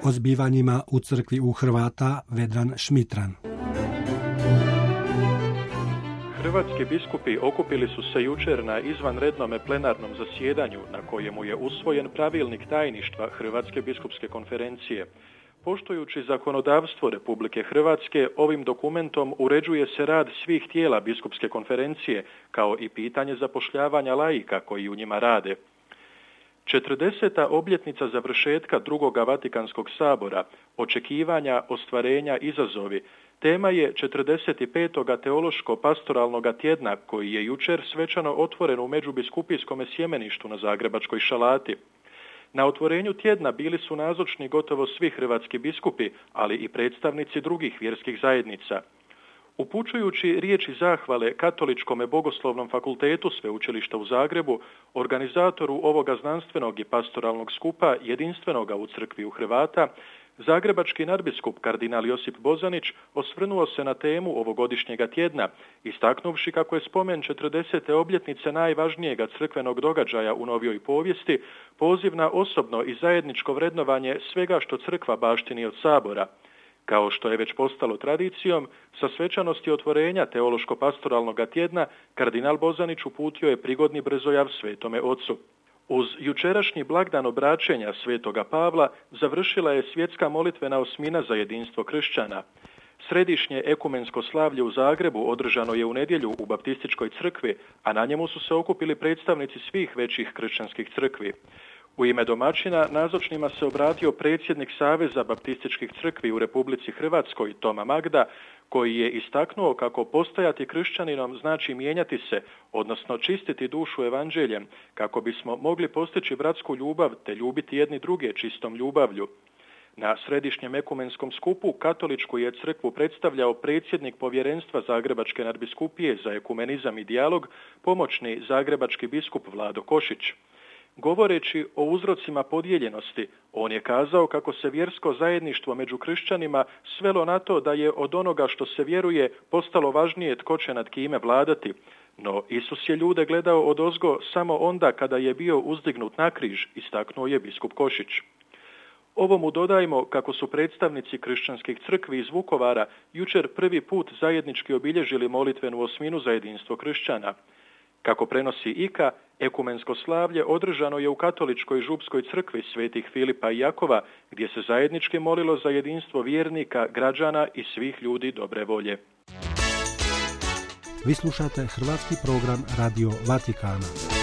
O zbivanjima u crkvi u Hrvata Vedran Šmitran. Hrvatski biskupi okupili su se jučer na izvanrednom plenarnom zasjedanju na kojemu je usvojen pravilnik tajništva Hrvatske biskupske konferencije. Poštujući zakonodavstvo Republike Hrvatske, ovim dokumentom uređuje se rad svih tijela biskupske konferencije, kao i pitanje zapošljavanja laika koji u njima rade. 40. obljetnica završetka Drugoga Vatikanskog sabora, očekivanja, ostvarenja, izazovi, tema je 45. teološko-pastoralnog tjedna koji je jučer svečano otvoren u međubiskupijskom sjemeništu na Zagrebačkoj Šalati. Na otvorenju tjedna bili su nazočni gotovo svi hrvatski biskupi, ali i predstavnici drugih vjerskih zajednica. Upućujući riječi zahvale Katoličkom bogoslovnom fakultetu Sveučilišta u Zagrebu, organizatoru ovoga znanstvenog i pastoralnog skupa jedinstvenoga u crkvi u Hrvata, zagrebački nadbiskup kardinal Josip Bozanić osvrnuo se na temu ovogodišnjega tjedna, istaknuvši kako je spomen 40. obljetnice najvažnijega crkvenog događaja u novijoj povijesti poziv na osobno i zajedničko vrednovanje svega što crkva baštini od sabora. Kao što je već postalo tradicijom, sa svečanosti otvorenja teološko-pastoralnog tjedna, kardinal Bozanić uputio je prigodni brzojav Svetome Ocu. Uz jučerašnji blagdan obraćenja Svetoga Pavla završila je svjetska molitvena osmina za jedinstvo kršćana. Središnje ekumensko slavlje u Zagrebu održano je u nedjelju u Baptističkoj crkvi, a na njemu su se okupili predstavnici svih većih kršćanskih crkvi. U ime domaćina nazočnima se obratio predsjednik Saveza baptističkih crkvi u Republici Hrvatskoj Toma Magda, koji je istaknuo kako postajati kršćaninom znači mijenjati se, odnosno čistiti dušu evanđeljem, kako bismo mogli postići bratsku ljubav te ljubiti jedni druge čistom ljubavlju. Na središnjem ekumenskom skupu katoličku je crkvu predstavljao predsjednik povjerenstva Zagrebačke nadbiskupije za ekumenizam i dijalog, pomoćni zagrebački biskup Vlado Košić. Govoreći o uzrocima podijeljenosti, on je kazao kako se vjersko zajedništvo među kršćanima svelo na to da je od onoga što se vjeruje postalo važnije tko će nad kime vladati. No Isus je ljude gledao odozgo samo onda kada je bio uzdignut na križ, istaknuo je biskup Košić. Ovomu dodajmo kako su predstavnici kršćanskih crkvi iz Vukovara jučer prvi put zajednički obilježili molitvenu osminu za jedinstvo kršćana. Kako prenosi IKA, ekumensko slavlje održano je u katoličkoj župskoj crkvi svetih Filipa i Jakova, gdje se zajednički molilo za jedinstvo vjernika, građana i svih ljudi dobre volje. Vi slušate hrvatski program Radio Vatikana.